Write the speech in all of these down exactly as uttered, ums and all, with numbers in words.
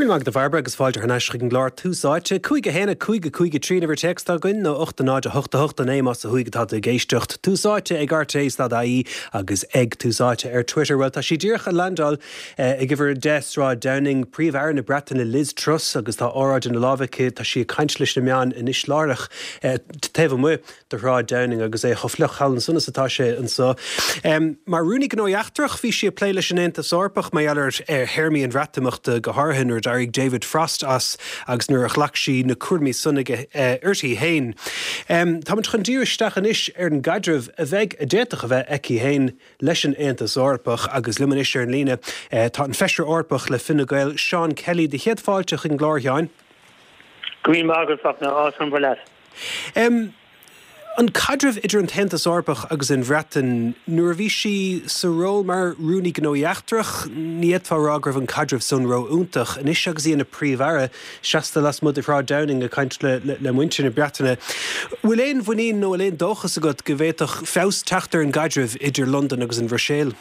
Go raibh maith agat a Bhairbre agus fáilte thar n-ais chuig an gclár Tús Áite. Cúig a haon a cúig a cúig a trí an uimhir téacs atá againn nó ocht a náid a hocht a hocht a naoi más ó thuaidh atá tú ag éisteacht. Tús Áite ag rté dot ie agus ag Tús Áite ar Twitter. Well tá sí díreach ag landáil ag uimhir a deich Sráid Downing, Príomh-Aire na Breataine Liz Truss agus tá óráid ina lámh aici tá sí ag caint leis na meáin anois láithreach taobh amuigh de Shráid Downing agus é chomh fliuch thall ansan is atá sé anseo. Mar Rúnaí Gnóthaí Eachtrach bhí sí ag plé leis an Aontas Eorpach mar gheall ar théarmaí an Bhreatimeachta go háirithe nuair a d'éirigh David Frost as agus nuair a ghlac sí na cúraimí san uirthi féin. Táimid chun díriú isteach anois ar an gcaidreamh a bheidh a d'fhéadfadh a bheith aici féin leis an Aontas Eorpach agus liom anois ar an líne tá an Feisire Eorpach le Fine Gael Seán Kelly do chéad fáilte chuig an gclár a Sheáin. Go raibh maith agat Fachtna áthas an leat. Um, An caidreamh idir an tAontas Eorpach agus an Bhreatain nuair a bhí sí sa ról mar Rúnaí Gnóthaí Eachtrach, ní fhéadfá a rá go raibh an caidreamh san ró-iontach. Anois agus í ina Príomh-Aire, seasta lasmuigh de Shráid Downing ag caint le, le, le muintir na Breataine. Bhfuil aon mhuinín nó bhfuil aon dóchas agat go bhféadfadh feabhas teacht ar an gcaidreamh idir Londain agus an Bhruiséil?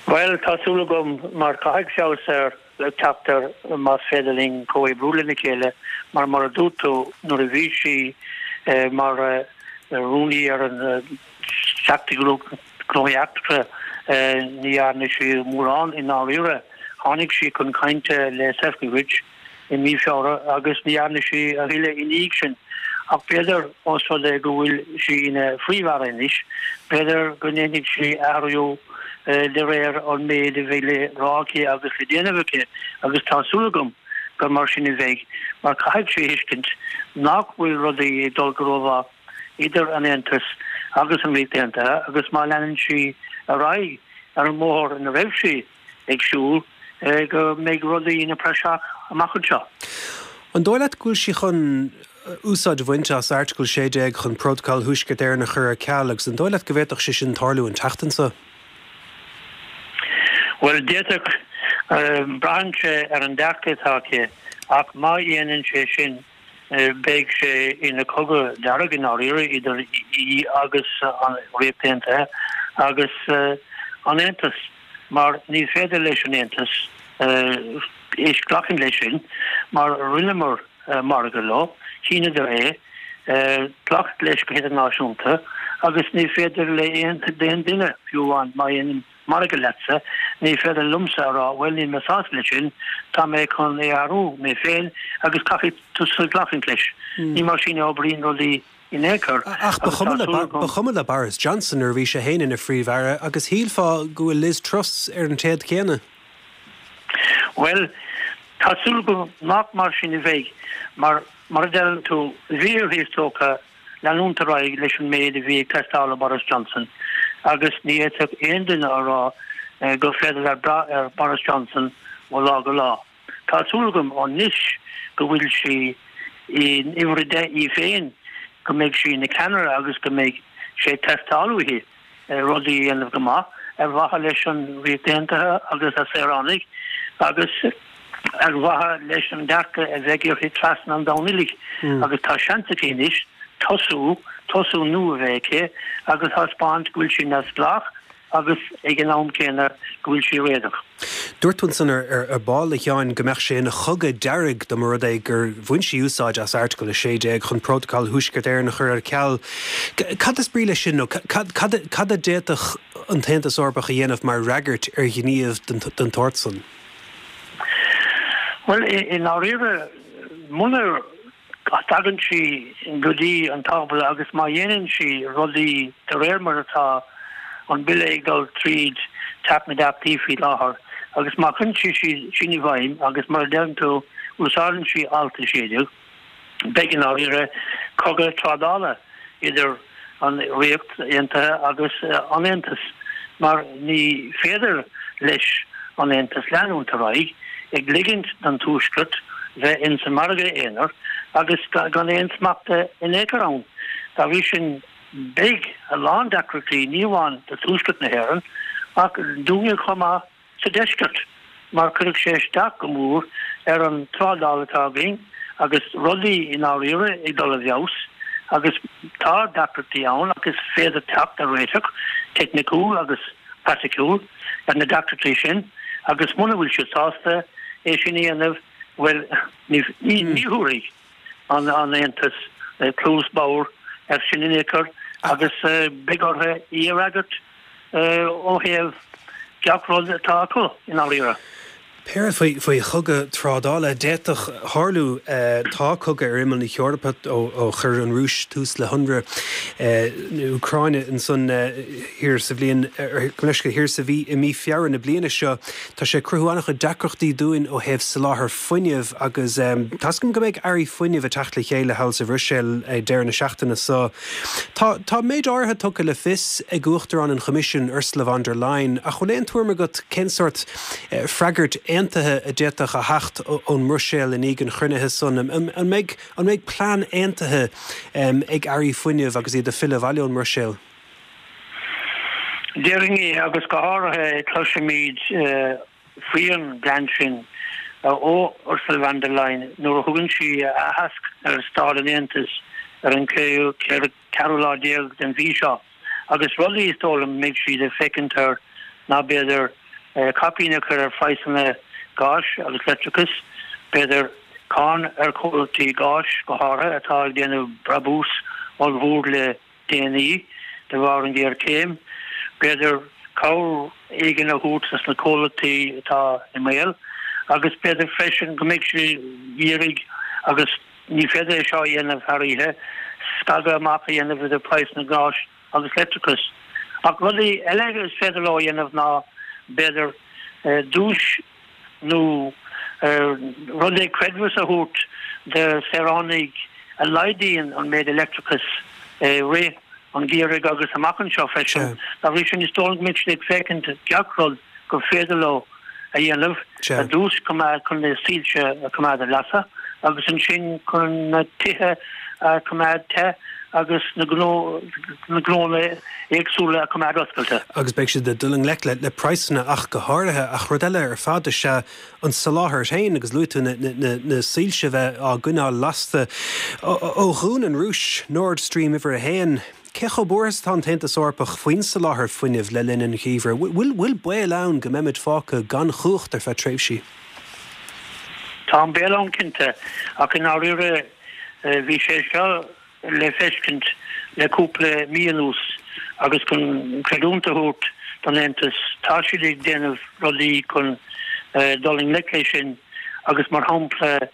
Bhuel, tá súil agam mar caithfidh feabhas ar le teacht air más féidir linn comhoibriú lena chéile mar mar a dúirt tú nuair a bhí sí mar rúnaí ar an Teachta Gnóthaí Eachtracha ní dhearna sí mórán i ndáiríre. Tháinig sí chun cainte le Sefcovic i mí Feabhra agus ní dhearna sí a thuilleadh i ndiaidh sin. Ach b'fhéidir ós rud é go bhfuil sí ina Phríomh-Aire anois, b'fhéidir go ndéanfaidh sí athrú de réir an méid a bheidh le rá aici agus le déanamh aici agus tá súil agam gur mar sin a bheidh mar caithfidh sí a thuiscint nach bhfuil rudaí ag dul go rómhaith idir an Aontas agus an Ríocht Aontaithe agus má leanann sí ar aghaidh ar an mbóthar ina raibh sí ag siúl go mbeidh rudaí ina praiseach amach anseo. An dóigh leat go bhfuil sí chun úsáid a bhaint as Airteagal sé déag chun Prótacal Thuaisceart Éireann a chur ar ceal agus an dóigh leat go bhféadfadh sé sin tarlú an tseachtain seo? Bhuel, d'fhéadfadh. Braitheann sé ar an dearcadh atá aici ach má dhéanann sé sin beidh sé ina chogadh dearg i ndáiríre idir í agus an Ríocht Aontaithe agus an Aontas mar ní féidir leis an Aontas glacadh leis sin mar rinneamar margadh leo, shíneadar é, glacadh leis go hidirnáisiúnta agus ní féidir le aon duine, fiú amháin má dhéanaim margadh leatsa, ní féidir liomsa a rá bhuel níl mé sásta leis sin, tá mé chun é a athrú mé féin agus caithfidh tusa glacadh leis. Ní mar sin a oibríonn rudaí in aon chor. Ach ba chuma le Boris Johnson nuair a bhí sé féin ina Phríomh-Aire agus shílfeá go bhfuil Liz Truss ar an téad céanna. Bhuel, tá súil agam nach mar sin a bheidh, mar, mar a deireann tú, bhí uirthi is dócha leanúint ar aghaidh leis an méid a bhí ag teastáil ó Boris Johnson agus ní fhéadfadh aon duine a rá gur féidir leat brath ar Boris Johnson ó lá go lá. Tá súil agam anois go bhfuil sí in uimhir a deich í féin, go mbeidh sí ina ceannaire agus go mbeidh sé ag teastáil uaithi rudaí a dhéanamh go maith ar mhaithe leis an Ríocht Aontaithe agus a saoránaigh agus ar mhaithe leis an dearcadh a bheidh uirthi trasna an domhain uilig. Agus tá seans aici anois tosú, tosú nua a bheith aici agus thaispeáint go bhfuil sí neamhspleách agus ag an am céanna go bhfuil sí réadach. Dúirt tú ansan ar ball, a Sheáin, go mbeadh sé ina chogadh dearg dá mba rud é gur bhain sí úsáid as Airteagal a sé déag chun Prótacal Thuaisceart Éireann a chur ar ceal. Cad is brí leis sin nó cad a d'fhéadfadh an tAontas Eorpach a dhéanamh mar fhreagairt ar ghníomh den tsórt san? Bhuel, i ndáiríre, muna dtagann sí go dtí an tábla agus má dhéanann sí rudaí de réir mar atá an bille ag dul tríd Teach na dTeachtaí faoi láthair agus má chuireann sí sin i bhfeidhm agus mar a deireann tú, úsáideann sí alt a sé déag, beidh i ndáiríre cogadh trádála idir an Ríocht Aontaithe agus an Aontas mar ní féidir leis an Aontas leanúint ar aghaidh ag ligint don Tuaisceart bheith ins an margadh aonair agus gan aon smacht in aon chor ann. Dá bhrí sin beidh a lán deacrachtaí ní amháin do Tuaisceart na hÉireann ach dúinne chomh maith sa deisceart mar cuirfidh sé isteach go mór ar an trádáil atá againn agus rudaí i ndáiríre ag dul i bhfeabhas agus tá deacrachtaí ann ach is féidir teacht ar réiteach teicniciúil agus praiticiúil ar na deacrachtaí sin agus muna bhfuil siad sásta é sin a dhéanamh, bhuel, ní thabharfaidh an Aontas cluas bhodhar air sin in aon chor agus beidh orthu í a fhreagairt ó thaobh gach rud atá acu i ndáiríre. Pé rud faoi chogadh trádála a d'fhéadfadh tarlú, tá cogadh ar imeall na hEorpa ó chuir an Rúis tús le hionradh na Úcráine ansan thiar sa bhliain, thiar sa mhí, i mí Feabhra na bliana seo. Tá sé ag cruthú an-chuid deacrachtaí dúinn ó thaobh soláthar fuinnimh agus tá's agam go mbeidh airí fuinnimh ag teacht le chéile thall sa Bhruiséil ag deireadh na seachtaine seo. Tá tá méid áirithe tugtha le fios ag Uachtarán an Choimisiúin, Ursula von der Leyen, ach bhfuil aon tuairim agat cén sórt freagairt aontaithe a d'fhéadfadh a theacht ón mBruiséil i ndiaidh an chruinnithe san? An mbeidh an mbeidh plean aontaithe ag airí fuinnimh agus iad ag filleadh abhaile ón mBruiséil? Déarfainn é, agus go háirithe cloisfimid faoin bplean sin ó Ursula von der Leyen nuair a thugann sí aitheasc ar staid an Aontais ar an ceathrú lá déag den mhí seo. Agus rudaí is dóigh liom a mbeidh siad ag féachaint air ná b'fhéidir caipín a chur ar phraghsanna gáis agus leictreachais, b'fhéidir cáin ar chomhlachtaí gáis go háirithe atá ag déanamh brabús ollmhór le déanaí de bharr an ghéarchéim, b'fhéidir cabhair éigin a thabhairt dos na comhlachtaí atá i mbaol agus b'fhéidir freisin go mbeidh siad ag iarraidh, agus ní féidir é seo a dhéanamh thar oíche, scagadh amach a dhéanamh idir praghsanna gáis agus leictreachais. Ach rudaí eile is féidir leo a dhéanamh ná, b'fhéidir, duais nó rud é creidmheas a thabhairt do saoránaigh a laghdaíonn an méid leictreachais i rith an gheimhridh agus amach anseo freisin. Dá bhrí sin, is dóigh liom go mbeidh siad ag féachaint gach rud gur féidir leo a dhéanamh, ar dtús chun na soilse a choimeád ar lasadh agus ansin chun na tithe a choimeád te agus na gnónna éagsúla a choimeád oscailte. Agus beidh siad ag dul i ngleic le praghsanna ach go háirithe. Ach rud eile ar fad is ea an soláthar féin agus luaigh tú na soilse a bheith á gcoinneáil lasta. Ó dhún an Rúis Nord Stream uimhir a haon, cé chomh buartha is atá an tAontas Eorpach faoin soláthar fuinnimh le linn an gheimhridh? Bhfuil baol ann go mbeimid fágtha gan chumhacht ar feadh tréimhsí? Tá an baol ann cinnte, ach i ndáiríre bhí sé seo le feiscint le cúpla mí anuas agus chun creidiúint a thabhairt don Aontas, tá siad ag déanamh rudaí chun dul i ngleic leis sin agus mar shampla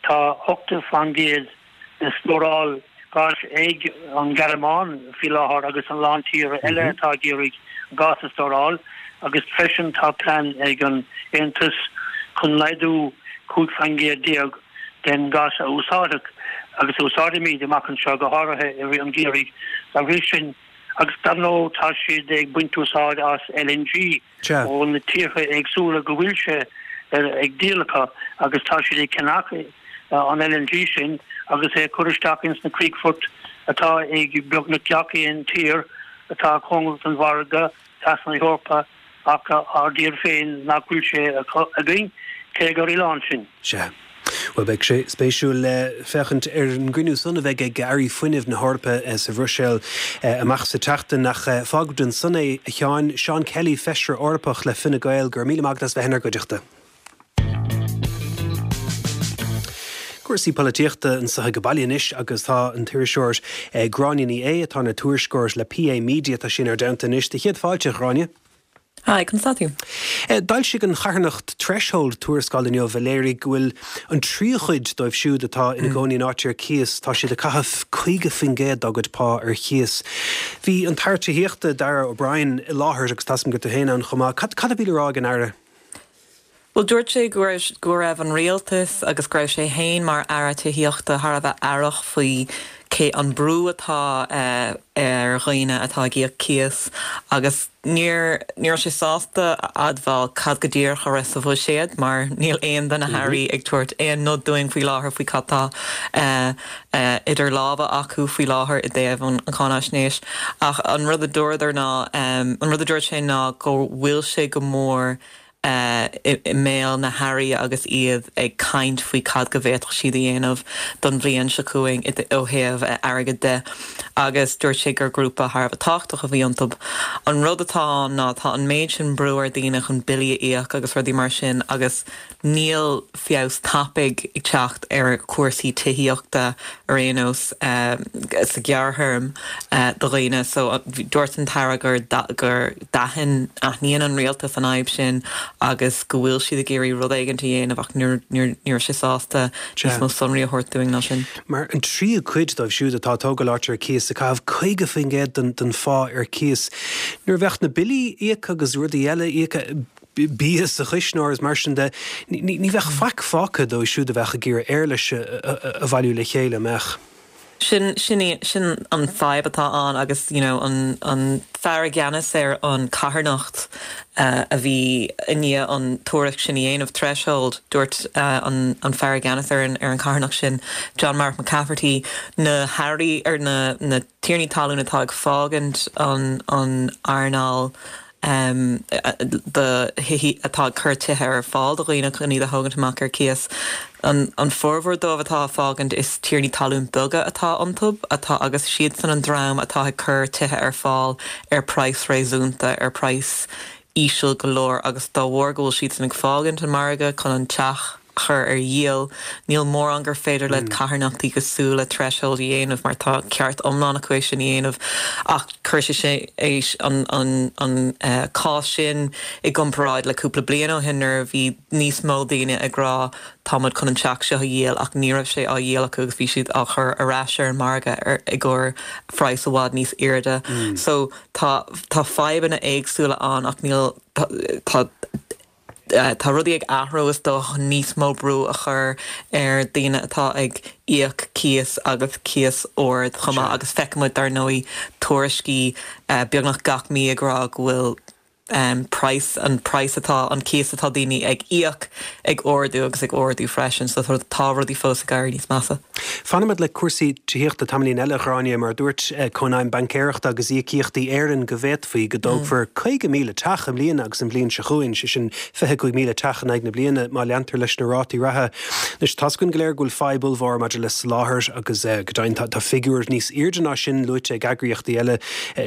tá ochtó faoin gcéad de stóráil gáis ag an Ghearmáin faoi láthair agus a lán tíortha eile atá ag iarraidh gás a stóráil agus freisin tá plean ag an Aontas chun laghdú cúig faoin gcéad déag den ghás a úsáideadh agus a úsáidfimid amach anseo, go háirithe i rith an gheimhridh. Dá bhrí sin, agus dar ndóigh tá siad ag baint úsáid as L N G ó na tíortha éagsúla go bhfuil sé ag díol acu agus tá siad ag ceannach an L N G sin agus é a chur isteach ins na críochfoirt atá ag beagnach gach aon tír atá cóngarach don mhargadh trasna na hEorpa ach ár dtír féin nach bhfuil sé againn, cé gur oileán sinn. Sea. Bhuel, beidh sé spéisiúil féachaint ar an gcruinniú san a bheidh ag Airí Fuinnimh na hEorpa sa Bhruiséil amach sa tseachtain. Ach fágfaimid ansan é, a Sheáin. Seán Kelly, Feisire Eorpach le Fine Gael, go raibh míle maith agat as bheith inár gcuideachta. Cúrsaí polaitíochta anseo ag baile anois agus tá an t-iriseoir Gráinne Ní Aodha, atá ina tuairisceoir le P A Media, tá sí inár dteannta anois. Do chéad fáilte, a Ghráinne. Hi, conas tá tú? D'fhoilsigh an charthanacht Threshold tuarascáil inniu a léirigh go bhfuil an tríú cuid dóibh siúd atá ina gcónaí in áit ar cíos, tá siad ag caitheamh caoga faoin gcéad dá gcuid pá ar chíos. Bhí an tAire Tithíochta, Darragh O'Brien, i láthair agus tá a fhios agam go raibh tú féin ann chomh maith. Cad cad a bhí le rá ag an Aire? Bhuel, dúirt sé go raibh go raibh an rialtas agus go raibh sé féin mar Aire Tithíochta thar a bheith aireach faoi cé an brú atá ar dhaoine atá ag íoc cíos agus níor ní raibh sé sásta a admháil cad go díreach a raibh sa bhuiséad mar níl aon de na hairí ag tabhairt aon nod dúinn faoi láthair faoi cad tá idir lámha acu faoi láthair i dtaobh an cháinaisnéis. Ach an rud a dúradar ná an rud a dúirt sé ná go bhfuil sé go mór i mbéal na hairí agus iad ag caint faoi cad go bhféadfadh siad a dhéanamh don bhliain seo chugainn ó thaobh airgid de agus dúirt sé gur grúpa thar a bheith tábhachtach a bhí iontu. An rud atá ná tá an méid sin brú ar daoine chun billí a íoc agus rudaí mar sin agus níl feabhas tapaidh ag teacht ar chúrsaí tithíochta ar aon nós sa ghearrthéarma do dhaoine so dúirt an tAire gur gur d'aithin aithníonn an rialtas an fhadhb sin agus go bhfuil siad ag iarraidh rud éigin a dhéanamh ach níor raibh sé sásta níos mó sonraí a thabhairt dúinn ná sin. Mar an tríú cuid dóibh siúd atá ag tógáil áit ar cíos ag caitheamh caoga faoin gcéad den den phá ar cíos. Nuair a bheadh na billí íoctha agus rudaí eile íoctha, bia sa chuisneoir is mar sin de, ní bheadh faic fágtha dóibh siúd a bheadh ag iarraidh éarlais a bhailiú le chéile, an mbeadh? Sin sin sin an fadhb atá ann agus you know an an fear i gceannas ar an carthanacht a bhí i ndiaidh an tuairisc sin a dhéanamh, Threshold, dúirt an an fear i gceannas ar an ar an carthanacht sin, John Mark McCafferty, na hairí ar na na tiarnaí talún atá ag fágaint an an earnáil do thithe atá ag cur tithe ar fáil do dhaoine chun iad a thógaint amach ar cíos. An an formhór dóibh atá ag fágaint is tiarnaí talún beaga atá iontu atá agus siadsan an dream atá ag cur tithe ar fáil ar praghas réasúnta, ar praghas íseal go leor agus dá bharr go bhfuil siadsan ag fágaint an margadh chun an teach chur ar dhíol. Níl mórán gur féidir le carthanachtaí cosúil le Threshold a dhéanamh mar tá ceart iomlán acu é sin a dhéanamh ach chuir sé sé é an an an cás sin i gcomparáid le cúpla bliain ó shin nuair a bhí níos mó daoine ag rá táimid chun an teach seo a dhíol ach ní raibh sé á dhíol acu agus bhí siad á chur ar ais ar an margadh ar i gcomhair phraghas i bhfad níos airde. So tá tá fadhbanna éagsúla ann ach níl tá tá rudaí ag athrú is dócha níos mó brú a chur ar daoine atá ag íoc cíos agus cíos ard chomh maith agus feicimid dar ndóigh tuairiscí beagnach gach mí ag rá go bhfuil praghas an praghas atá an cíos atá daoine ag íoc ag ardú agus ag ardú freisin so tá rudaí fós ag éirí níos measa. Fanfaimid le cúrsaí tithíochta tamaillín eile, a Ghráinne, mar dúirt Cónaidhm Baincéireachta agus Íocaíochtaí Éireann go bhféadfaí go dtógfar caoga míle teach i mbliana agus an bhliain seo chugainn, sé sin fiche cúig míle teach in aghaidh na bliana má leantar leis na rátaí reatha. Anois, tá's againn go léir go bhfuil fadhb ollmhór maidir le soláthar agus go deimhin tá figiúir níos airde ná sin luaite ag eagraíochtaí eile,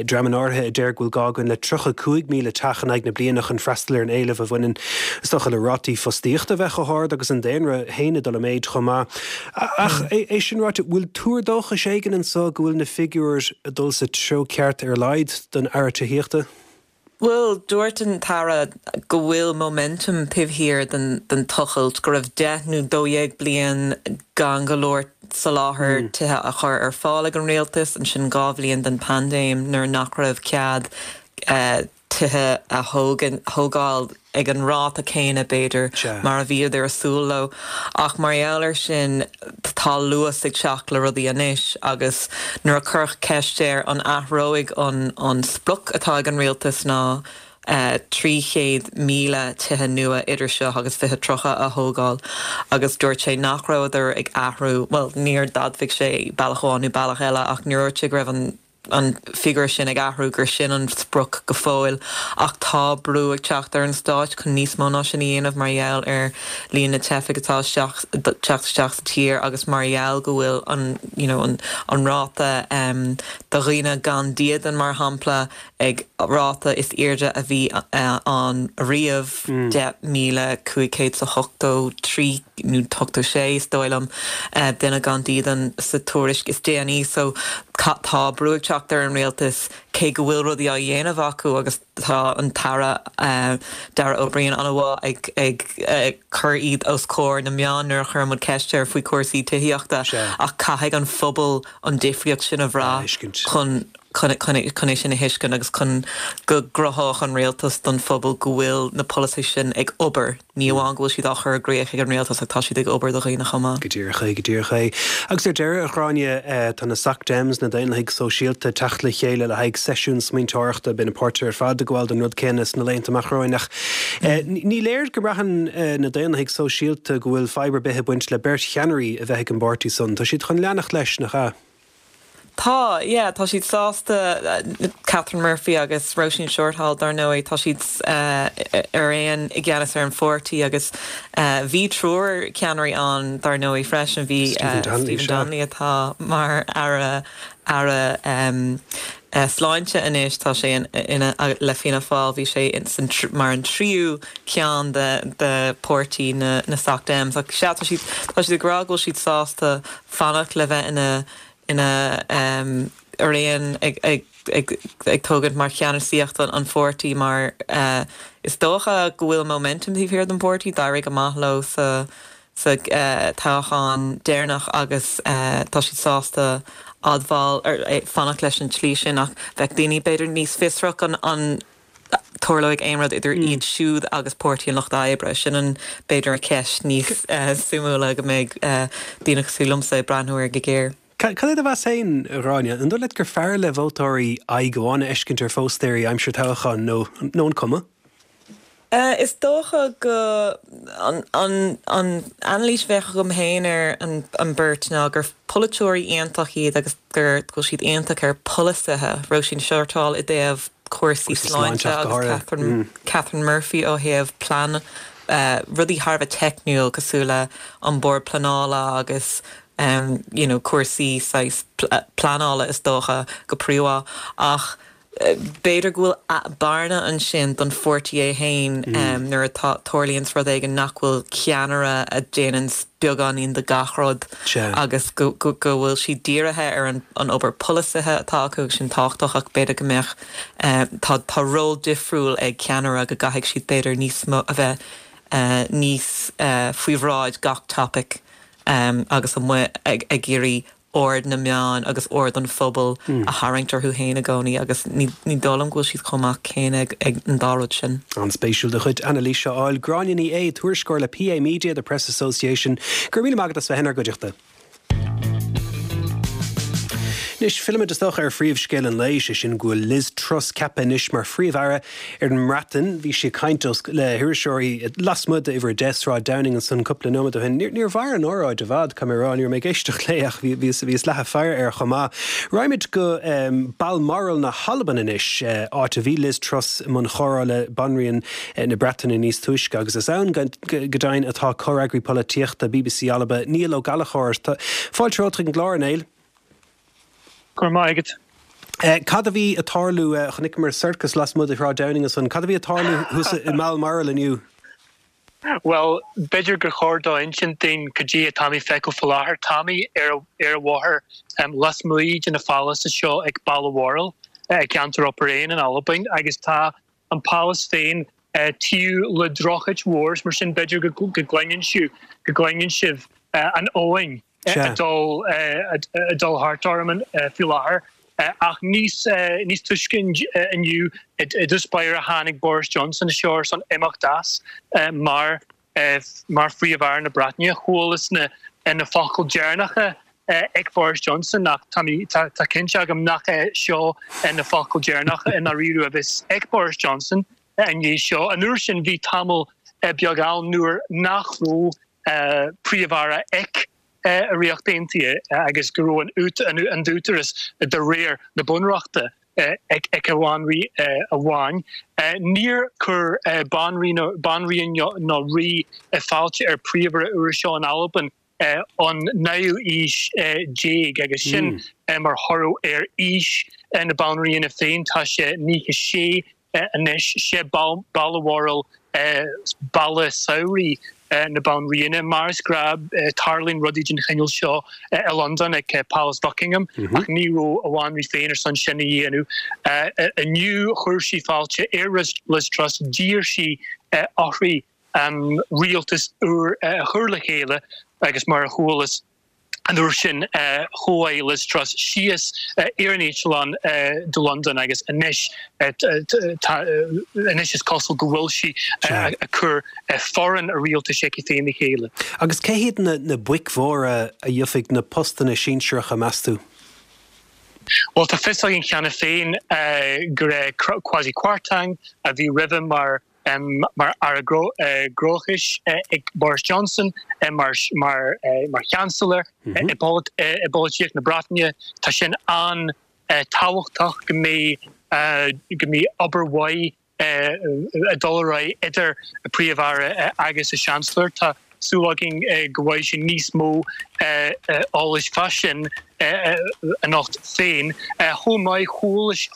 dreamanna áirithe a deir go bhfuil gá againn le tríocha cúig míle teach in aghaidh na bliana chun freastal ar an éileamh a bhaineann, is dócha, le rátaí fostaíochta a bheith chomh hard agus an daonra féin ag dul i méid chomh maith. Ach é sin ráite, bhfuil tuar dóchais éigin anso go bhfuil na figiúir ag dul sa treo ceart ar a laghad don Aire Tithíochta? Bhuel, dúirt an tAire go bhfuil momentum taobh thiar den den tochailt, go raibh deich nó dó dhéag bliain gan go leor soláthar tithe a chur ar fáil ag an rialtas, ansin dhá bhliain den paindéim nuair nach raibh cead tithe a thógáil ag an ráta céanna, b'fhéidir, mar a bhíodar ag súil leo. Ach mar gheall air sin, tá luas ag teacht le rudaí anois agus nuair a cuireadh ceist air an athróidh an an sprioc atá ag an rialtas ná trí chéad míle tithe nua idir seo agus fiche tríocha a thógáil agus dúirt sé nach rabhadar ag athrú, bhuel, níor d'admhaigh sé bealach amháin nó bealach eile ach níor dhúirt sé go raibh an an figiúr sin ag athrú, gur sin an sprioc go fóill. Ach tá brú ag teacht ar an Stát chun níos mó ná sin a dhéanamh mar gheall ar líon na teifigh atá ag teacht isteach sa tír agus mar gheall go bhfuil an you know an an ráta do dhaoine gan dídean mar shampla ag ráta is airde a bhí ann riamh, deich míle cúig chéad is a hochtó trí nó ochtó sé is dóigh liom, duine gan dídean sa tuairisc is déanaí. So tá brú ag teacht ar an rialtas cé go bhfuil rudaí á dhéanamh acu agus tá an tAire Darragh O'Brien an-mhaith ag ag cur iad os comhair na meán nuair a chuireann muid ceist air faoi chúrsaí tithíochta ach caithfidh an phobal an difríocht sin a bhrath chun chun chun é sin a thuiscint agus chun go gcruthódh an rialtas don phobal go bhfuil na polasaithe sin ag obair, ní amháin go bhfuil siad á chur i gcrích ag an rialtas ach tá siad ag obair do dhaoine chomh maith. Go díreach é, go díreach é. Agus ar deireadh, a Ghráinne, tá na Soc Dems, na Daonlathaigh Sóisialta, ag teacht le chéile le haghaidh seisiún smaointeoireachta. Beidh na páirtithe ar fad ag gabháil don rud céanna sna laethanta amach romhainn ach ní léir go mbraitheann na Daonlathaigh Sóisialta go bhfuil fadhb ar bith ag baint le beirt cheannairí a bheith ag an bpáirtí san. Tá siad chun leanacht leis, nach ea? Tá, yeah, tá siad sásta Catherine Murphy agus Róisín Shortall dar ndóigh tá siad uh, ar aon i gceannas ar an pháirtí agus uh, bhí triúr ceannairí ann dar ndóigh freisin bhí Stephen uh, Donnelly, Stephen sure. Donnelly atá mar aire aire um, uh, sláinte anois tá sé in, ina le Fianna Fáil bhí sé in, san tr mar an tríú ceann de de pháirtí na na Soc Dems ach sea tá siad tá siad ag rá go bhfuil siad sásta fanacht le bheith ina ina um, ar aon ag, ag, ag, ag tógaint mar cheannasaíocht an, an pháirtí mar uh, is dócha go bhfuil momentum taobh thiar den pháirtí d'éirigh amach leo sa sa uh, toghchán deireanach agus uh, tá siad sásta admháil ar eh, fanacht leis an tslí sin ach bheadh daoine b'fhéidir níos fiosrach an an tarlóidh aon rud idir mm. iad siúd agus Páirtí an Lucht Oibre sin an b'fhéidir a ceist níos uh, suimiúla go mbeidh uh, daoine cosúil liomsa ag breathnú air go géar. Cad é do mheas féin Gráinne, an dóigh leat gur fearr le vótóirí aghaidh amháin a fheiscint ar phóstaeirí aimsir toghcháin nó nó an cuma? Uh, is dócha go an, an, an anailís bheith agam féin ar an, an beirt ná gur polaiteoirí iontach iad agus gur go siad iontach ar polasaithe Róisín Shortall i dtaobh cúrsaí sláinte sláinte go agus háirithe. Catherine, mm. Catherine Murphy ó thaobh plean uh, rudaí thar a bheith teicniúil cosúil le an bord pleanála agus um, you know, cúrsaí saghas pl pleanála is dócha go príomha ach eh, b'fhéidir go bhfuil bearna ansin don pháirtí é féin mm. um, nuair atá tarlaíonn rud éigin nach bhfuil ceannaire a dhéanann beagáinín de gach rud agus go, go, go bhfuil siad dírithe ar an, an obair polasaithe atá acu sin tábhachtach ach b'fhéidir go mbeadh uh, tá tá ról difriúil ag ceannaire go gcaithfidh siad b'fhéidir níos mó a bheith uh, níos uh, faoi bhráid gach topic um, agus amuigh ag ag iarraidh aird na meán agus aird an phobal mm. a tharraingt orthu féin i gcónaí agus ní ní dóigh liom go bhfuil siad chomh maith céanna ag, ag an dá rud sin. An-spéisiúil do chuid anailíse a fháil Gráinne Ní Aodha tuairisceoir le PA Media the Press Association, gur mí agad as bheith inár gcuideachta. Anois fillfimid isteach ar phríomhscéal an lae sé sin go bhfuil Liz Truss ceaptha anois mar phríomh-aire ar an mBreatain bhí sí ag caint le hiriseoirí lasmuigh d'uimhir a deich Sráid Downing ansan cúpla nóiméad ó shin. Níor mhair an óráid i bhfad caithfidh mé a rá ní mé ag éisteacht léi ach bhí leath faire ar chomh maith. Raghaimid go um, Balmoral na hAlban anois uh, áit a bhí Liz Truss i mbun comhrá le Banríon uh, na Breataine níos túisce agus is ann go deimhin atá comhfhreagraí polaitíochta BBC Alba Niall Ó Gallchóir Fáilte romhat chuig an gclár Niall. Gur maigad. Uh, cad a bhí ag tarlú uh, chonaiceamar circus lasmuigh de Shráid Downing ansan, cad a bhí ag tarlú thuas i mBalmoral inniu? Well, b'fhéidir gur chóir dom insint duit cad é atá mé a fheiceáil faoi láthair tá mé ar ar an bhóthar um, lasmuigh de na palace seo ag Balmoral uh, ceantar Upper in Albain agus tá an palace féin uh, taobh le droichead mhór mar sin b'fhéidir go go gcluineann sibh go gcluineann sibh uh, an abhainn a dul a dul thart orm faoi láthair. Ach níos níos túisce inniu i dtús báire tháinig Boris Johnson anseo san imeacht as mar mar phríomh-aire na Breataine chualas na na focail deireanacha ag Boris Johnson nach tá cinnte agam nach é seo na focail deireanacha in a bhí ag Boris Johnson an é seo an uair sin bhí tamall beag ann nuair nach raibh príomh-aire ag an Ríocht Aontaithe agus go raibh an an t-údarás de réir na bunreachta ag ag an bhanríon amháin. Níor chuir banríon ná rí fáilte ar phríomh-aire úr seo in Albain an naoú haois déag agus sin mar thoradh ar aois na banríona féin tá sé nócha sé anois sé Balmoral baile samhraidh na banríona mar is gnách tarlaíonn rudaí den chineál seo i Londain ag Palace Buckingham ach ní raibh an bhanríon féin ar son sin a dhéanamh. Inniu chuir sí fáilte ar Liz Truss d'iarr sí uirthi um, rialtas úr a chur le chéile agus mar a chualas an uair sin chuaigh Liz Truss síos ar an eitleán do London agus anois anois is cosúil go bhfuil sí ag cur foireann a rialtais aici féin le chéile. Agus cé hiad na, na boic mhóra a gheobhaidh na postanna sinsearacha meas tú? Well tá fios againn cheana féin gur Kwasi Kwarteng a bhí roimhe mar mar Aire Gnóthais ag Boris Johnson, mar mar mar Chancellor i bpolaitíocht na Breataine. Tá sin an-tábhachtach go mbeidh go mbeidh obair mhaith ag dul ar aghaidh idir an Príomh-Aire agus an Chancellor. Tá súil againn go bhfaighidh sé níos mó eolais fá sin anocht féin. Chomh maith,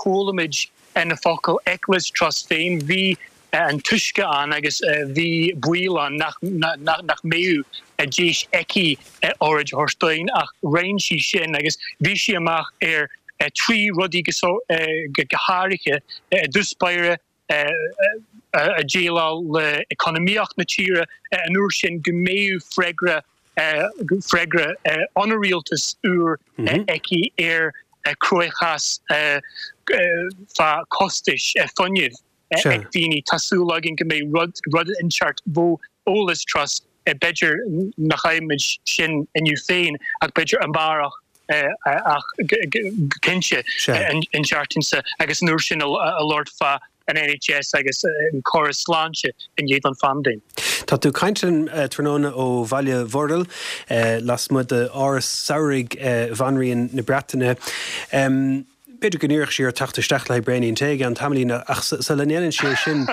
chuala muid na focail ag Liz Truss féin, bhí an túisce ann agus bhí baol ann nach mbeadh deis aici óráid a thabhairt dúinn ach rinne sí sin agus bhí sí amach ar trí rudaí go háirithe, i dtús báire a déileáil le economaíocht na tíre an uair sin go mbeadh freagra freagra ón rialtas úr aici ar cruachás fá costais fuinnimh ag daoine. Tá súil againn go mbeidh rud rud inteacht ó Liz Truss, b'fhéidir nach bhfaighimid sin inniu féin ach b'fhéidir amárach ach cinnte an tseachtain seo agus an uair sin a labhairt fá an N H S agus an córas sláinte i ndiaidh an phaindéim. Tá tú ag caint linn tráthnóna ó Bhaile Bhorrail lasmuigh d'Áras Samhraidh Bhanríon na Breataine. B'fhéidir go n-iarrfadh sí ort teacht isteach le braoinín tae i gceann tamaillín ach sula ndéanann sí é sin,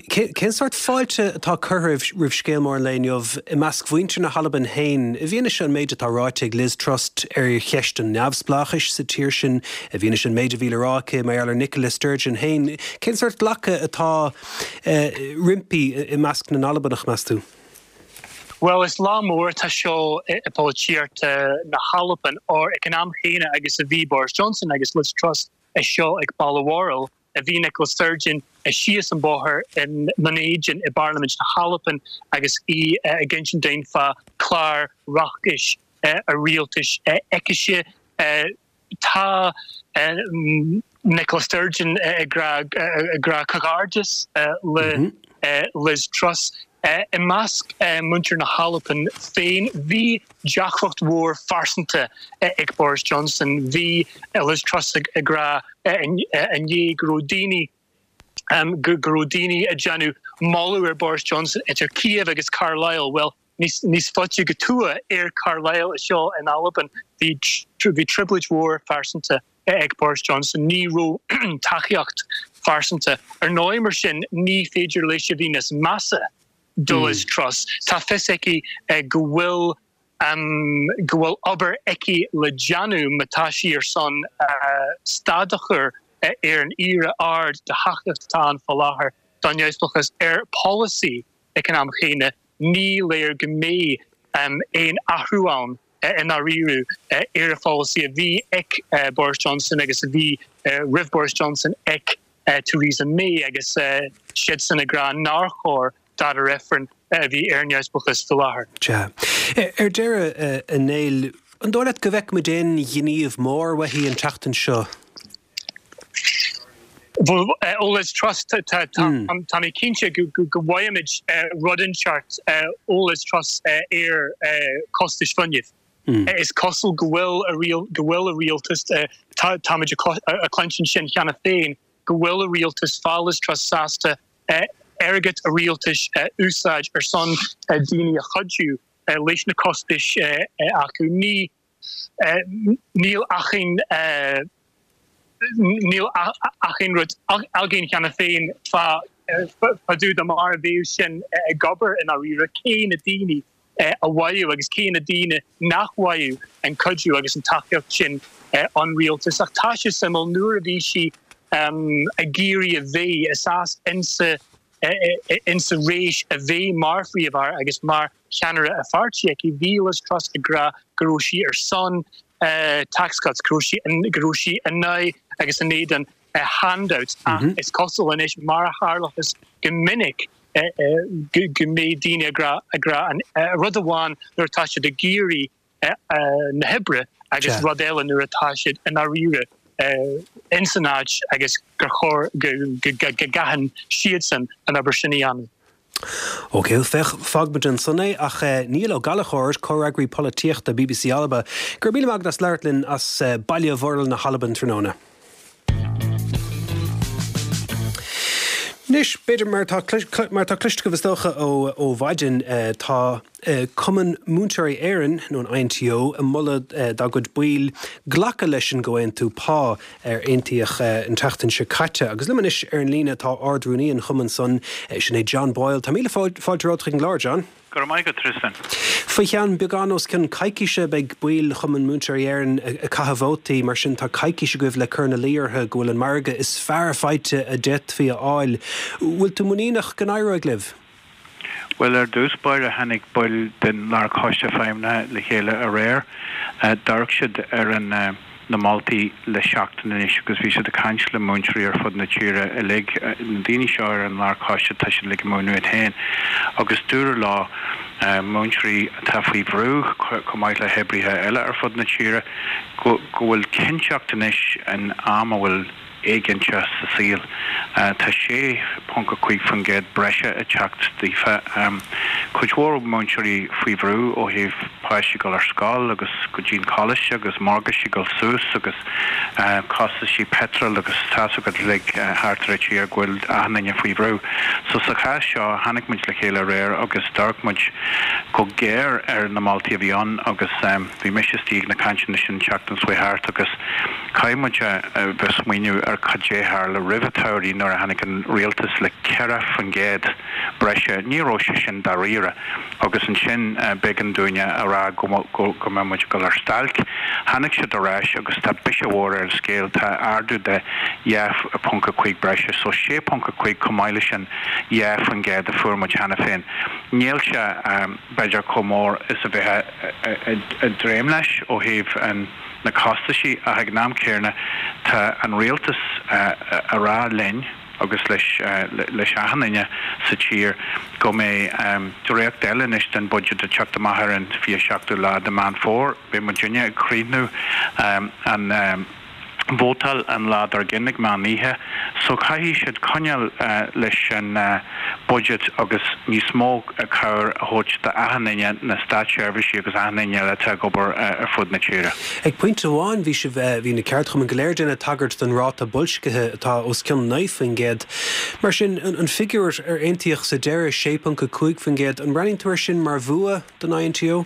cén sórt fáilte atá curtha roimh scéal mór an lae inniu i measc mhuintir na hAlban féin, i bhfianaise an méid atá ráite ag Liz Truss ar cheist an neamhspleáchais sa tír sin, i bhfianaise an méid a bhí le rá aici mar gheall ar Nicola Sturgeon féin, cén sórt glacadh atá roimpi i measc na nAlbanach, meas tú? Well, is lá mór atá seo i polaitíocht na hAlban or ag an am chéanna agus a bhí Boris Johnson agus Liz Truss anseo ag Balmoral, a bhí Nicola Sturgeon síos an bóthar in Dún Éideann i bParlaimint na hAlban agus í ag insint dúinn fá chlár reachtais a rialtais aicise. Tá Nicola Sturgeon ag rá comhghairdeas le Liz Truss. I measc muintir na hAlban féin, bhí deacracht mhór phearsanta ag Boris Johnson. Bhí Liz Truss ag rá inné go raibh daoine go raibh daoine ag déanamh moladh ar Boris Johnson idir Kiev agus Carlisle. Well, níos faide go tuath ar Carlisle seo in Albain, bhí bhí trioblóid mhór phearsanta ag Boris Johnson, ní raibh tacaíocht phearsanta. Ar ndóigh mar sin ní féidir leis a bhí níos measa do Liz Truss. Tá fios aici go bhfuil um, go bhfuil obair aici le déanamh má tá sí ar son uh, stad a chur ar an iarraidh ard de thacaíocht atá ann faoi láthair don neamhspleáchas ar polasaí ag an am chéanna ní léir go mbeidh um, aon athrú ann i ndáiríre ar an pholasaí a bhí ag uh, Boris Johnson agus a bhí uh, roimh Boris Johnson ag uh, Theresa May agus uh, siadsan ag rá nár chóir dara reifreann a bhí ar neamhspleáchas faoi láthair. Sea. Ar deireadh a Néill, an dóigh leat go bhfeicfimid aon ghníomh mór uaithi an tseachtain seo? Ó Liz Truss, tá mé cinnte go bhfaighimid rud inteacht ó Liz Truss ar costais fuinnimh. Is cosúil go bhfuil go bhfuil a rialtas táimid ag cluinstin sin cheana féin go bhfuil a rialtas fá Liz Truss sásta airgead a rialtais úsáid ar son daoine a chuidiú leis na costais acu. Ní níl achan níl achan rud againn cheana féin fá dtaobh de mar a bheadh sin ag obair i ndáiríre cé na daoine a bhfaigheadh agus cé na daoine nach bhfaigheadh an cuidiú agus an tacaíocht sin ón rialtas. Ach tá sé suimiúil nuair a bhí sí ag iarraidh a bheith is insa insa rás a bheith mar phríomh-aire agus mar cheannaire a pháirtí aici bhí Liz Truss ag rá go raibh sí ar son uh, tax cuts, go raibh sí go raibh sí in aghaidh agus in éadan uh, handouts ach mm -hmm. is cosúil anois mar a tharlaíonn go minic uh, uh, go, go mbeidh daoine ag rá ag rá an uh, rud amháin nuair atá siad ag iarraidh uh, uh, na hoibre agus rud eile nuair atá siad i ndáiríre uh, insan áit agus gur chóir go gcaithfidh siadsan an obair sin a dhéanamh. Ok, féach fágfaimid ansan é ach Niall Ó Gallchóir, comhfhreagraí polaitíochta B B C Alba, gur mí Magnus Leirtlin as Baile Bhorrail na hAlban tráthnóna. Anois, b'fhéidir mar tá mar tá cloiste agaibh is dócha ó ó mhaidin tá Cumann Múinteoirí Éireann nó an I N T O ag moladh dá gcuid baill glacadh leis an gcomhaontú pá ar aontaíodh an tseachtain seo caite. Agus liom anois ar an líne tá Ard-Rúnaí an chumainn san, sin é John Boyle. Tá míle fáilte romhat chuig an gclár, John. Go raibh maith agat, Tristan. Faoi cheann beagán os cionn coicíse beidh baill Chumann Múinteoirí Éireann ag caitheamh vótaí, mar sin tá coicís agaibh le cur ina luí orthu go bhfuil an margadh is fearr faighte a d'fhéadfaí a fháil. Bhfuil tú muiníneach go n-éireoidh libh? Well, ar dtús báire tháinig baill den Lárchoiste Feidhmeanna le chéile aréir. D'amharc siad ar an na moltaí le seachtain anois agus bhí siad ag caint le múinteoirí ar fud na tíre uilig. Na daoine seo ar an Lárchoiste, tá siad uilig ag múineadh iad féin. Agus dúradh leo, múinteoirí atá faoi bhrú chomh maith le hoibrithe eile ar fud na tíre, go go bhfuil cinnteacht anois in am a bhfuil éiginnteacht sa saol. Tá sé ponc a cúig faoin gcéad breise ag teacht daofa. Cuid mhór múinteoirí faoi bhrú ó thaobh páistí dul ar scoil agus go dtí an coláiste agus morgáistí dul suas agus costaisí peitril agus tá's agat uilig thart ar an tír go bhfuil achan duine faoi bhrú. So sa chás seo tháinig muid le chéile aréir agus d'amharc muid go géar ar na moltaí a bhí ann agus bhí mise istigh ag na cainteanna sin an tseachtain seo thart agus caithfidh muid a bheith smaoineamh ar cad é tharla roimh an tsamhradh nuair a tháinig an rialtas le ceithre faoin gcéad breise. Ní raibh sé sin dáiríre agus ansin b'éigean dúinne a rá go go go mbeidh muid ag dul ar stailc. Tháinig siad ar ais agus tá biseach mhór ar an scéal, tá ardú de dhá ponc a cúig breise, so sé ponc a cúig chomh maith leis an dhá faoin gcéad a fuair muid cheana féin. Níl sé b'fhéidir chomh mór is a bheith ag dréim leis ó thaobh an na costaisí, ach ag an am céanna tá an rialtas a rá linn agus leis leis achan duine sa tír go mbeidh dréacht eile anois den budget ag teacht amach ar an fiche seachtú lá de Meán Fómhair. Beidh muidinne ag críochnú an vótáil an lá dár gcionn ag meán oíche, so caithfidh siad coinneáil leis an budget agus níos mó cabhair a thabhairt d'achan duine, na státseirbhísigh agus achan duine eile atá ag obair ar fud na tíre. Ag pointe amháin bhí sibh bhí na ceardchumainn go léir ag déanamh tagairt don ráta boilscithe atá os cionn naoi faoin gcéad. Mar sin an figiúr ar aontaíodh sa deireadh, sé ponc a cúig faoin gcéad, an mbreathnaíonn tú air sin mar bhua don I N T O?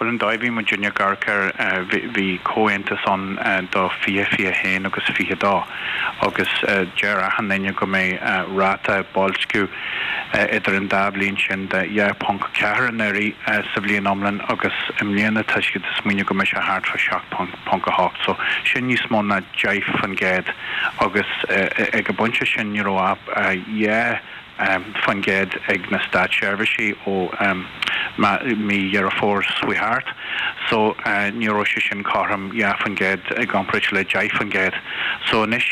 Well, an dóigh bhí muidinne ag amharc air, bhí comhaontas ann do fiche fiche haon agus fiche dó agus deir achan duine go mbeidh ráta boilsciú idir an dá bhliain sin de dhá ponc ceathair anuraidh sa bhliain iomlán agus i mbliana tá siad ag smaoineamh go mbeidh sé thart fá seacht ponc a hocht. So sin níos mó ná deich faoin gcéad agus ag an bpointe sin ní raibh ach dhá faoin gcéad ag na státseirbhísigh ó mí Dheireadh Fómhair seo thart. So ní raibh sé sin cothrom, dhá faoin gcéad i gcomparáid le deich faoin gcéad. So anois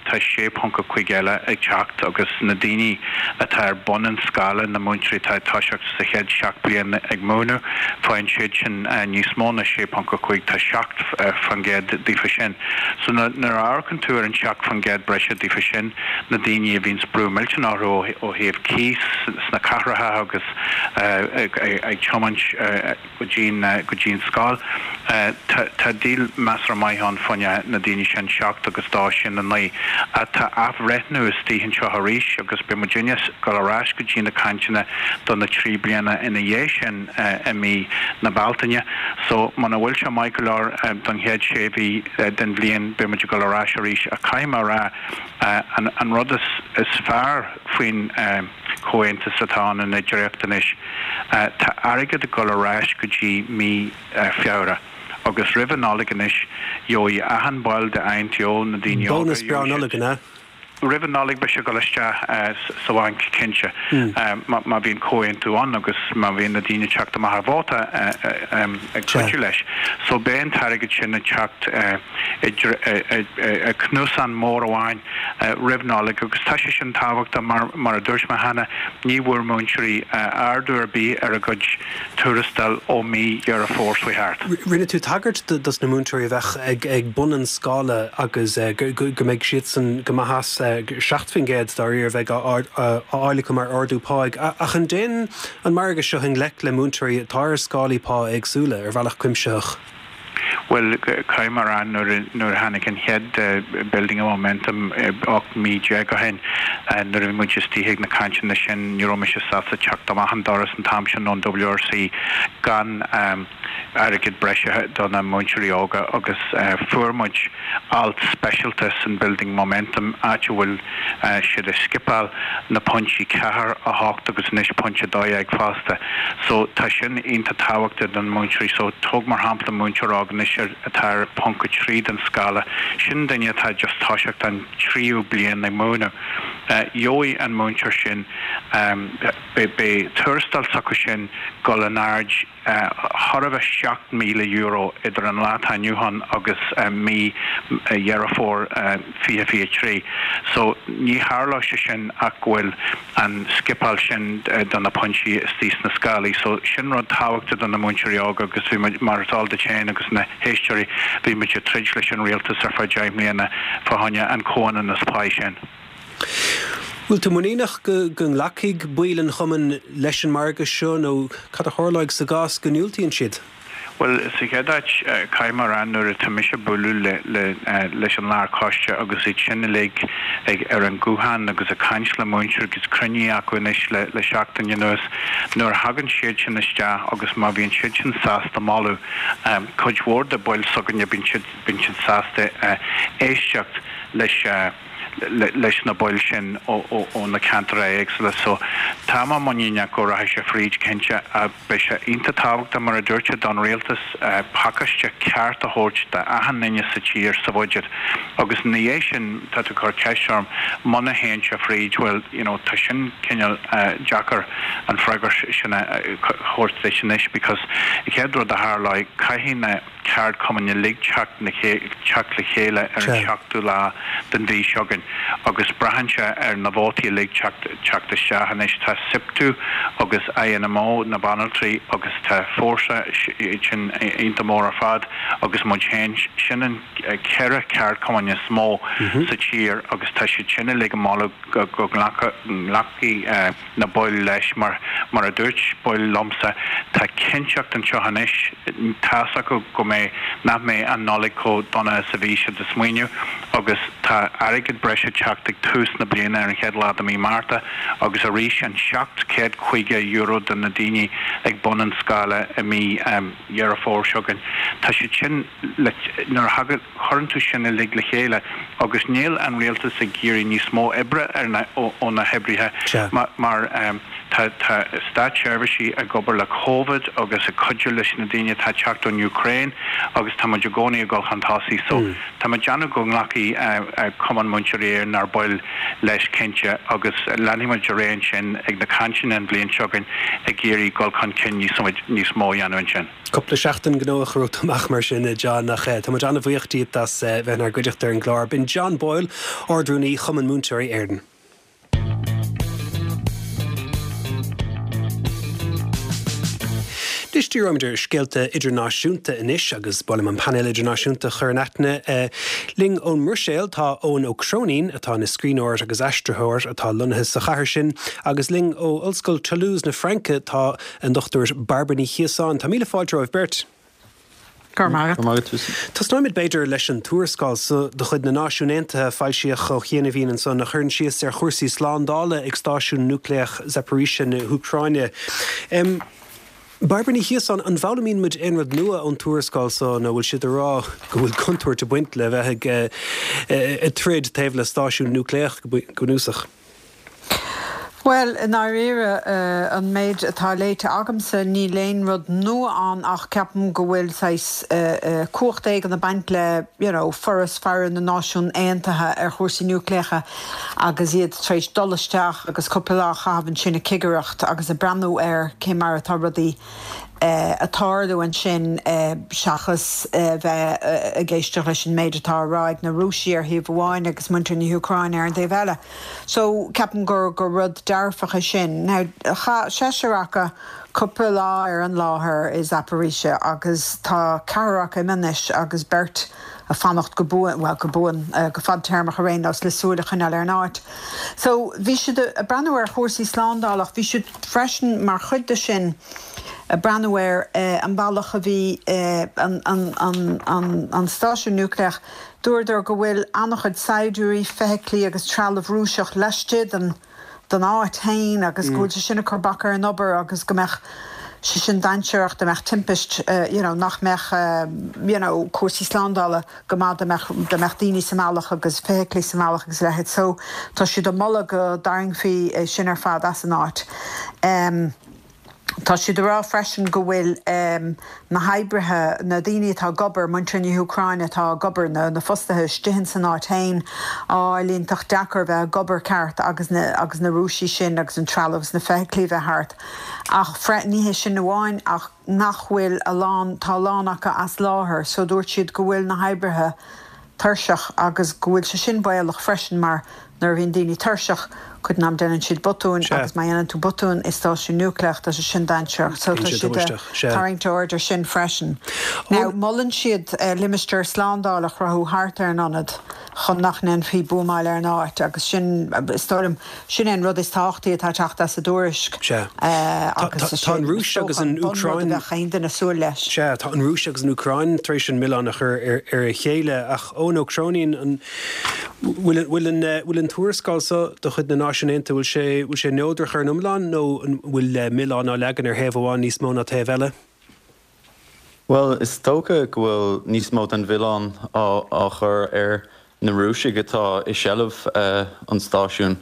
tá sé ponc a cúig eile ag teacht agus na daoine atá ar bun an scála, na múinteoirí atá ag toiseacht sa chéad seacht bliain ag múineadh, faigheann siad sin níos mó ná sé ponc a cúig, tá seacht faoin gcéad daofa sin. So nuair a amharcann tú ar an seacht faoin gcéad breise daofa sin, na daoine a bhíonn brú millteanach orthu ó thaobh cíos sna cathracha agus ag tiomáint go dtí go dtí an scoil, tá deal measartha maith ann fá choinne na daoine sin, seacht agus dó, sin a naoi. Tá athbhreithniú istigh anseo arís agus beidh muidinne ag dul ar ais go dtí na cainteanna do na trí bliana ina dhiaidh sin i mí na Bealtaine. So muna bhfuil sé maith go leor don chéad sé mhí den bhliain, beidh muid ag dul ar ais arís. Ach caithfidh mé a rá, an rud is fearr faoin chomhaontas atá ann ina dhréacht anois, tá airgead ag dul ar ais go dtí mí Feabhra agus roimh an Nollaig anois gheobhaidh achan ball de I N T O, na daoine óga. Bónas breá Nollag, an ea? Roimh an Nollaig beidh sé ag dul isteach sa bhanc cinnte, má bhíonn comhaontú ann agus má bhíonn na daoine ag teacht amach ar vóta ag cuidiú leis. So beidh an t-airgead sin ag teacht i cnuasán mór amháin roimh Nollaig agus tá sé sin tábhachtach mar, mar a dúirt mé cheana, ní bhfuair múinteoirí ardú ar bith ar a gcuid tuarastail ó mí Dheireadh Fómhair seo thart. Rinne tú tagairt dos na múinteoirí a bheadh ag bun an scála agus go mbeidh siadsan go maith as seacht faoin gcéad dáiríre a bheidh á fháil acu mar ardú páigh. Ach an dtéann an margadh seo i ngleic le múinteoirí atá ar scálaí pá éagsúla ar bhealach cuimsitheach? Bhuel, caithfidh mé a rá nuair a tháinig an chéad Building Momentum ocht mí déag ó shin, nuair a bhí muid istigh ag na cainteanna sin, ní raibh mise sásta teacht amach an doras an t-am sin ón WRC gan airgead breise do na múinteoirí óga agus fuair muid alt speisialta san Building Momentum áit a bhfuil siad ag scipeáil na pointí ceathair, a hocht agus anois pointe a dó dhéag fosta. So tá sin iontach tábhachtach don múinteoirí. So tóg mar shampla múinteoir óg anois atá ar ponc a trí den scála, sin duine atá just toiseacht an tríú bliain ag múineadh. Gheobhaidh an múinteoir sin, beidh tuarastal s'acu sin dul in airde chóir a bheith seacht míle euro idir an lá atá inniu ann agus mí Dheireadh Fómhair fiche fiche trí. So ní tharlóidh sé sin ach go bhfuil an scipeáil sin do na pointí istigh sna scálaí. So sin rud tábhachtach do na múinteoirí óga agus bhí muid, mar is eol duit féin agus na héisteoirí, bhí muid ag troid leis an rialtas ar feadh deich mbliana fá choinne an comhionannas páí sin. Bhfuil tú muiníneach go nglacfaidh baill an chumainn leis an margadh seo nó cad a tharlóidh sa gcás go ndiúltaíonn siad? Bhuel, sa chéad áit, caithfidh mé a rá nuair atá mise ag bualadh le leis an lárchoiste agus iad sin uilig ag ar an nguthán agus ag caint le múinteoirí agus cruinnithe acu anois le le seachtain anuas, nuair a thagann siad sin isteach agus má bhíonn siad sin sásta moladh cuid mhór de baill s'againne bíonn siad bíonn siad sásta éisteacht leis leis na baill sin ó na ceantair éagsúla. So tá mé muiníneach go rachaidh sé fríd cinnte ach beidh sé iontach tábhachtach mar a dúirt sé don rialtas pacáiste ceart a thabhairt d'achan duine sa tír sa bhuiséad agus ina dhiaidh sin tá tú ag cur ceist orm muna théann sé fríd bhuel you know tá sin cineál deacair an freagra sin a thabhairt duit anois because an chéad rud a tharlóidh caithfidh na ceardchumainn uilig teacht teacht le chéile ar an seachtú lá den mhí seo chugainn agus braitheann sé ar na vótaí uilig teacht teacht isteach. Anois tá SIPTU agus INMO, na banaltraí, agus tá Fórsa, iad sin iontach mór ar fad, agus muid féin, sin an ceithre ceardchumann is mó sa tír agus tá siad sin uilig ag moladh go go nglacfaidh na baill leis mar mar a dúirt baill liomsa tá cinnteacht anseo anois, tá's acu go mbeidh, nach mbeidh an Nollaig chomh dona is a bhí siad ag smaoineamh agus tá airgead breise ag teacht ag tús na bliana ar an chéad lá de mí Márta agus arís an seacht chéad caoga euro do na daoine ag bun an scála i mí Dheireadh Fómhair seo chugainn. Tá siad sin le, nuair a thagann, chuireann tú sin uilig le chéile agus níl an rialtas ag iarraidh níos mó oibre ar na, ó na hoibrithe mar tá, tá státseirbhísigh ag obair le Covid agus ag cuidiú leis na daoine atá ag teacht ón Úcráin agus tá muid i gcónaí ag dul chun tosaigh so tá mé ag déanamh go nglacfaidh Cumann Múinteoirí Éireann ár baill leis cinnte agus leanfaidh muid ar aghaidh ansin ag na cainteanna an bhliain seo chugainn ag iarraidh dul chun cinn níos níos mó a dhéanamh ansin. Cúpla seachtain gnóthach romhat amach mar sin, a John, ach tá muid an-bhuíoch díot as bheith inár gcuideachta ar an gclár. B'in John Boyle, Ard-Rúnaí Chumann Múinteoirí Éireann. Anois díreoimid ar scéalta idirnáisiúnta anois agus ba mhaith liom an painéal idirnáisiúnta a chur in aithne. Linn ón mBruiséil tá Eoin Ó Cróinín, atá ina scríbhneoir agus aistritheoir atá lonnaithe sa chathair sin, agus linn ó Ollscoil Toulouse na Fraince tá an Dochtúir Bairbre Ní Chiosáin. Tá míle fáilte romhaibh beirt. Go raibh maith agat. Tosnóimid b'fhéidir leis an tuarascáil so de chuid na Náisiún Aontaithe a foilsíodh ó chianaibhín ansan a chuireann síos ar chúrsaí slándála ag stáisiún núicléach Zaporizhzhia na hÚcráine. Bairbre Ní Chiosáin, an bhfoghlaimíonn muid aon rud nua ón tuarascáil so nó bhfuil siad ag rá go bhfuil contúirt ag baint le bheith ag troid taobh le stáisiún núicléach go bunúsach? Bhuel, i ndáiríre, an méid atá léite agamsa, níl aon rud nua ann ach ceapaim go bhfuil saghas cumhacht éigin ag baint le, you know, Foras Faire na Náisiún Aontaithe ar chúrsaí núicléacha agus iad tar éis dul isteach agus cúpla lá a chaitheamh ansin ag cigireacht agus ag breathnú ar cé mar atá rudaí ag tarlú ansin seachas bheith ag éisteacht leis an méid atá á rá ag na Rúisigh ar thaobh amháin agus muintir na hÚcráine ar an dtaobh eile. So ceapaim gur gur rud dearfach é sin. Now chaith seisear acu cúpla lá ar an láthair i Zaporizhzhia agus tá ceathrar acu imithe anois agus beirt ag fanacht go buan, bhuel go buan, go fadtéarmach ar aon nós le súil a choinneáil ar an áit. So bhí siad ag breathnú ar chúrsaí slándála ach bhí siad freisin mar chuid de sin, ag breathnú ar an bealach a bhí an an an an an stáisiún núicléach, dúradar go bhfuil an-chuid saighdiúirí, feithiclí agus trealamh Rúiseach laistigh den den áit féin agus go bhfuil sé sin ag cur bac ar an obair agus go mbeadh sé sin dainséarach dá mbeadh timpist you know nach mbeadh you know cúrsaí slándála go maith dá mbeadh dá mbeadh daoine sa mbealach agus feithiclí sa mbealach agus a leithéid so tá siad ag moladh go dtarraingfí é sin ar fad as an áit. Um, Tá siad ag rá freisin go bhfuil na hoibrithe, na daoine atá ag obair, muintir na hÚcráine atá ag obair, na fostaithe istigh ins an áit féin, á iontach deacair bheith ag obair ceart agus na agus na Rúisigh sin agus an trealamh agus na feithiclí bheith thart. Ach ní hé sin amháin ach nach bhfuil a lán, tá a lán acu as láthair so dúirt siad go bhfuil na hoibrithe tuirseach agus go bhfuil sé sin baolach freisin mar nuair a bhíonn daoine tuirseach, cuid den am déanann siad botúin agus má dhéanann tú botún i stáisiún núicléach tá sé sin dainséarach so tá siad ag tarraingt aird ar sin freisin. Now molann siad limistéar slándála a chruthú thart ar an ionad chun nach ndéanfaí buamáil ar an áit agus sin, is dóigh liom, sin é an rud is tábhachtaí atá ag teacht as an dtuairisc agus is é an dócha an bunrud a bheadh aon duine ag súil leis. Sea, tá an Rúis agus an Úcráin tar éis an milleán a chur ar a chéile ach Eoin Ó Cróinín, an bhfuil an tuarascáil seo de chuid na Náisiún Aontaithe, bhfuil sé, bhfuil sé neodrach ar an iomlán nó an bhfuil milleán á leagan ar thaobh amháin níos mó ná taobh eile? Bhuel, is dócha go bhfuil níos mó den mhilleán á chur ar na Rúisigh atá i seilbh an stáisiúin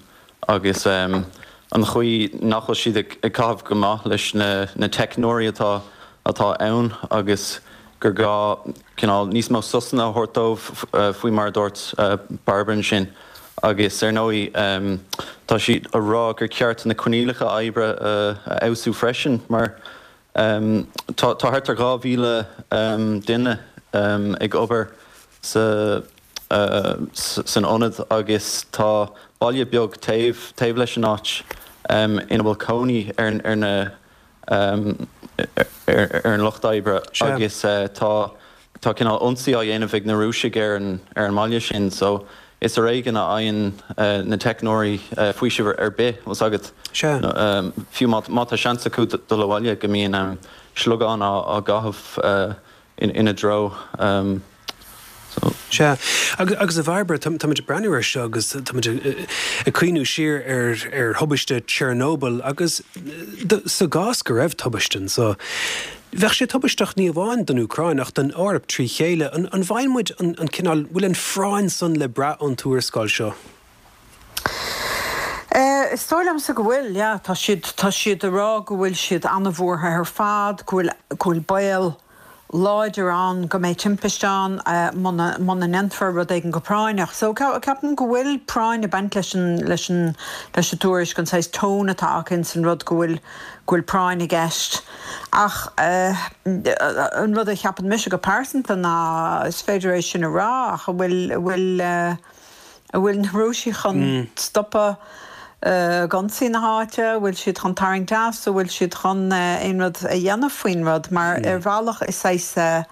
agus an chaoi nach bhfuil siad ag caitheamh go maith leis na teicneoirí atá atá ann agus gur gá cineál níos mó sosanna a thabhairt dóibh faoi mar a dúirt Bairbre ansin. Agus ar ndóigh tá siad a rá gur ceart na coinníollacha oibre a fheabhsú freisin mar tá thart ar dhá mhíle duine ag obair sa san ionad agus tá baile beag taobh taobh leis an áit ina bhfuil cónaí ar ar na ar an lucht oibre agus tá tá cineál ionsaí á dhéanamh ag na Rúisigh ar an ar an mbaile sin so is ar éigean a fhaigheann na teicneoirí faoiseamh ar bith, tá a fhios agat. Fiú má tá seans acu dul abhaile go mbíonn sliogáin á gcaitheamh ina dtreo. So. Sea. Agus a Bhairbre, táimid ag breathnú air seo agus táimid ag cuimhniú siar ar thubaiste Chernobyl agus sa gcás go raibh tubaiste anso, bheadh sé tubaisteach ní amháin don Úcráin ach don Eoraip trí chéile. An bhfaigheann muid an cineál, bhfuil an phráinn san le brath ón tuarascáil seo? Is dóigh liomsa go bhfuil, yeah. Tá siad, tá siad ag rá go bhfuil siad an-bhuartha ar fad, go bhfuil, go bhfuil baol láidir ann go mbeidh timpiste ann muna ndéanfar rud éigin go práinneach. So ceapaim go bhfuil práinn ag baint leis an leis an leis an tuairisc, an saghas tone atá acu ins an rud go bhfuil go bhfuil práinn i gceist. Ach an rud a cheapann mise go pearsanta ná is féidir é sin a rá ach an bhfuil an bhfuil An bhfuil na Rúisigh chun stopadh ag ionsaí na háite? An bhfuil siad chun tarraingt as? An bhfuil siad chun aon rud a dhéanamh faoin rud? Mar ar bhealach is saghas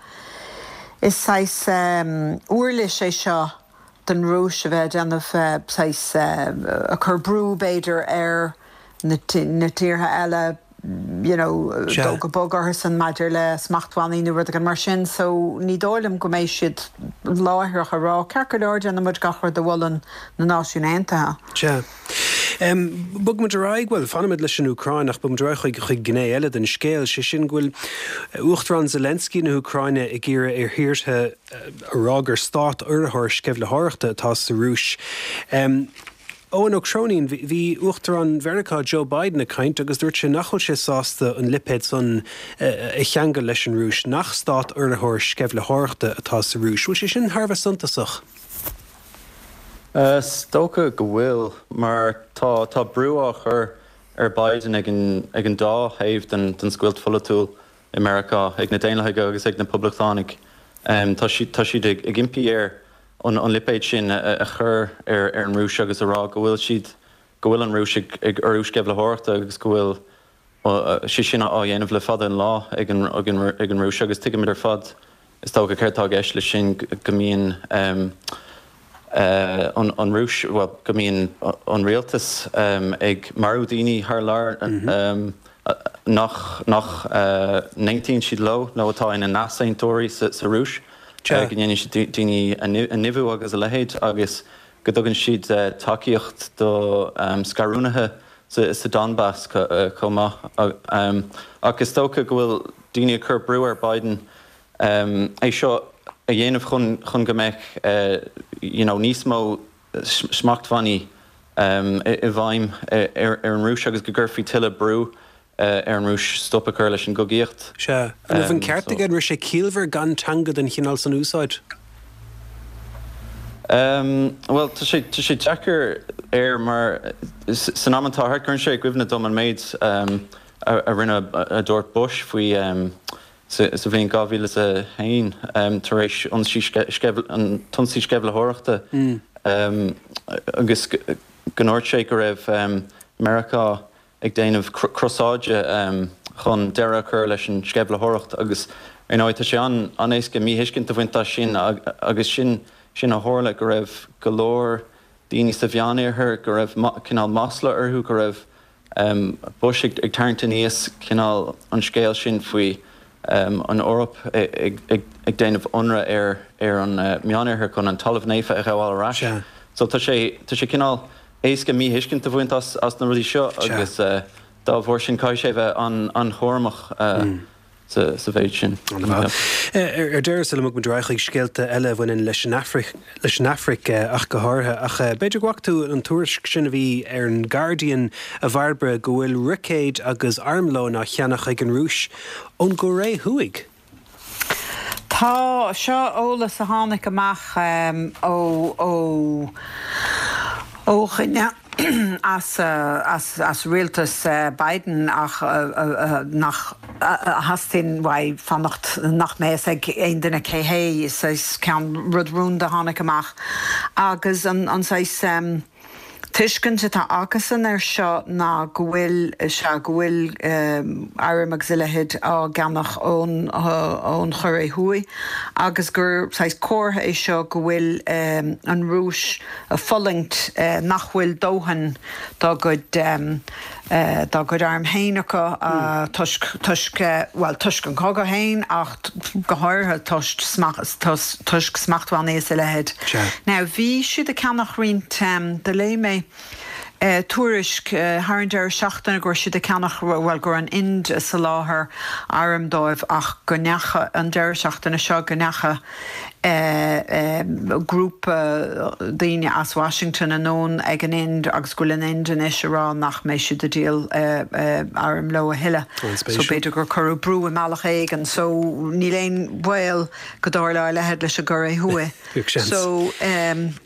is saghas uirlis é seo don Rúis a bheith ag déanamh saghas ag cur brú b'fhéidir ar na tíortha eile you know, dul go bog orthusan maidir le smachtbhannaí nó rud éigin mar sin. So ní dóigh liom go mbeidh siad láithreach ag rá, ceart go leor, déanfaidh muid gach rud a mholann na Náisiúin Aontaithe. Sea. Bogfaidh muid ar aghaidh, bhuel, fanfaimid leis an Úcráin ach bogfaidh muid ar aghaidh chuig chuig gné eile den scéal, sé sin go bhfuil Uachtarán Zelensky na hÚcráine ag iarraidh ar thíortha a rá gur stát urraitheoir sceimhlitheoireachta atá sa Rúis. Eoin Ó Cróinín, Bhí Uachtarán Mheiriceá Joe Biden ag caint agus dúirt sé nach bhfuil sé sásta an lipéad san a cheangal leis an Rúis, nach stát urraitheoir sceimhlitheoireachta atá sa Rúis. Bhfuil sé sin thar a bheith suntasach? Is dócha go bhfuil, mar tá tá brú á chur ar Biden ag an ag an dá thaobh den den scoilt pholaitiúil i Meiriceá, ag na Daonlathaigh agus ag na Poblachtánaigh. Tá siad tá siad ag ag impí air an lipéad sin a chur ar an Rúis agus a rá go bhfuil siad, go bhfuil an Rúis ag urrú sceimhlitheoireachta agus go bhfuil sé sin á dhéanamh le fada an lá ag an ag an Rúis agus tuigimid ar fad is dócha céard atá i gceist leis sin, go mbíonn an Rúis, bhuel, go mbíonn an rialtas ag marú daoine thar lear nach nach n-aontaíonn siad leo nó atá ina n-easaontóirí sa sa Rúis, go ndéanann siad daoine a nimhiú agus a leithéid agus go dtugann siad tacaíocht do scarúnaithe sa Donbass chomh maith. Ach is dócha go bhfuil daoine ag cur brú ar Biden é seo a dhéanamh chun chun go mbeadh you know níos mó smachtbhannaí i bhfeidhm ar an Rúis agus go gcuirfí tuilleadh brú ar an Rúis stop a chur leis an gcogaíocht. Sea. An raibh an ceart aige? An raibh sé ciallmhar gan teanga den chineál san a úsáid? Bhuel, tá sé tá sé deacair air mar san am atá thart, cuireann sé i gcuimhne dom an méid a rinne a dúirt Bush faoi sa bhliain dhá mhíle is a haon tar éis ionsaí an t-ionsaí sceimhlitheoireachta agus go ndúirt sé go raibh Meiriceá ag déanamh crosáide chun deireadh a chur leis an sceimhlitheoireacht agus ar ndóigh tá sé an-éasca míthuiscint a bhaint as sin agus sin sin a tharla, go raibh go leor daoine sa Mheánoirthear go raibh cineál masla orthu, go raibh Bush ag tarraingt aníos cineál an scéal sin faoi an Eoraip ag déanamh ionradh ar ar an Meánoirthear chun an Talamh Naofa a ghabháil ar ais. So tá sé tá sé cineál éasca míthuiscint a bhaint as as na rudaí seo agus dá bharr sin caithfidh sé bheith an-chúramach sa sa mhéid sin. Ar deireadh, sula mbogfaidh muid ar aghaidh chuig scéalta eile a bhaineann leis an Afraic, leis an Afraic ach go háirithe, ach b'fhéidir go bhfaca tú an tuairisc sin a bhí ar an Guardian, a Bhairbre, go bhfuil roicéid agus armlón á cheannach ag an Rúis ón gCóiré Thuaidh. Tá, seo eolas a tháinig amach ó ó ó dhuine as as as rialtas Biden ach nach a theastaíonn uaidh fanacht nach mbeadh a fhios ag aon duine cé hé, saghas ceann rud rúnda a tháinig amach agus an an saghas tuiscint atá acusan air seo ná go bhfuil, sea, go bhfuil airm agus a leithéid á gceannach ón ón Chóiré Thuaidh agus gur saghas comhartha é seo go bhfuil an Rúis ag fulaingt nach bhfuil dóthain dá gcuid dá gcuid arm féin acu toisc toisc bhuel toisc an cogadh féin ach go háirithe toisc toisc smachtbhannaí is a leithéid. Now bhí siad ag ceannach roinnt do léigh mé tuairisc thar an deireadh seachtaine go raibh siad ag ceannach, bhuel go raibh an Ind ag soláthar airm dóibh ach go ndeacha an deireadh seachtaine seo go ndeacha grúpa daoine as Washington anonn ag an Ind agus go bhfuil an Ind anois ag rá nach mbeidh siad ag díol airm leo a thuilleadh. So b'fhéidir gur cuireadh brú i mbealach éigin. So níl aon bhaol go dtarlódh a leithéid leis an gCóiré Thuaidh. So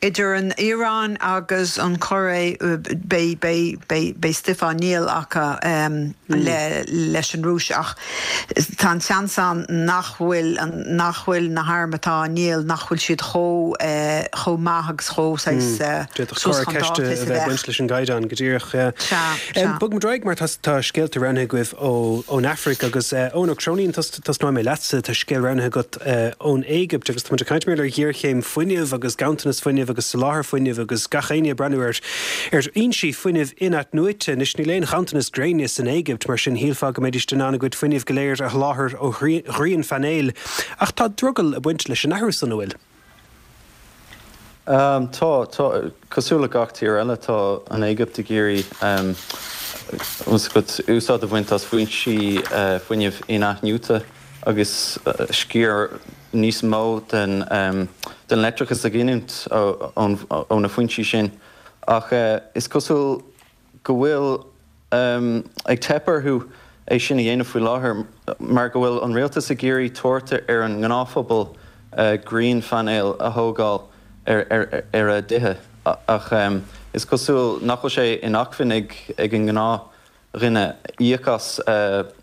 idir an Iaráin agus an Chóiré beidh beidh beidh beidh stuif á ndíol acu le leis an Rúis ach tá an seans ann nach bhfuil nach bhfuil na hairm atá á ndíol nach bhfuil siad chomh chomh maith agus chomh saghas D'fhéadfadh suas chun dáta is a bheith baint leis an gcaighdeán go díreach. Sea, sea. Bogfaidh muid ar aghaidh mar tá tá scéalta roghnaithe agaibh ó ón Afraic agus Eoin Ó Cróinín tosnóidh mé leatsa, tá scéal roghnaithe agat ón Éigipt agus tá muid ag caint mar ar ghéarchéim fuinnimh agus ganntanas fuinnimh agus soláthar fuinnimh agus gach éinne ag breathnú ar ar fhoinsí fuinnimh in-athnuaite. Anois níl aon ghanntanas gréine san Éigipt, mar sin shílfeá go mbeidís in ann a gcuid fuinnimh go léir a sholáthar ó ghrianphainéil. Ach tá drogall ag baint leis an athrú san, an bhfuil? Tá, tá. Cosúil le gach tír eile, tá an Éigipt ag iarraidh úsáid a bhaint as foinsí fuinnimh in-athnuaite agus sciar níos mó den den leictreachas a ghiniúint ó na foinsí sin. Ach is cosúil go bhfuil ag teip orthu é sin a dhéanamh faoi láthair mar go bhfuil an rialtas ag iarraidh tabhairt ar an ngnáthphobal grianphainéil a thógáil ar a dtithe ach is cosúil nach bhfuil sé in acmhainn ag an ngnáthdhuine íoc as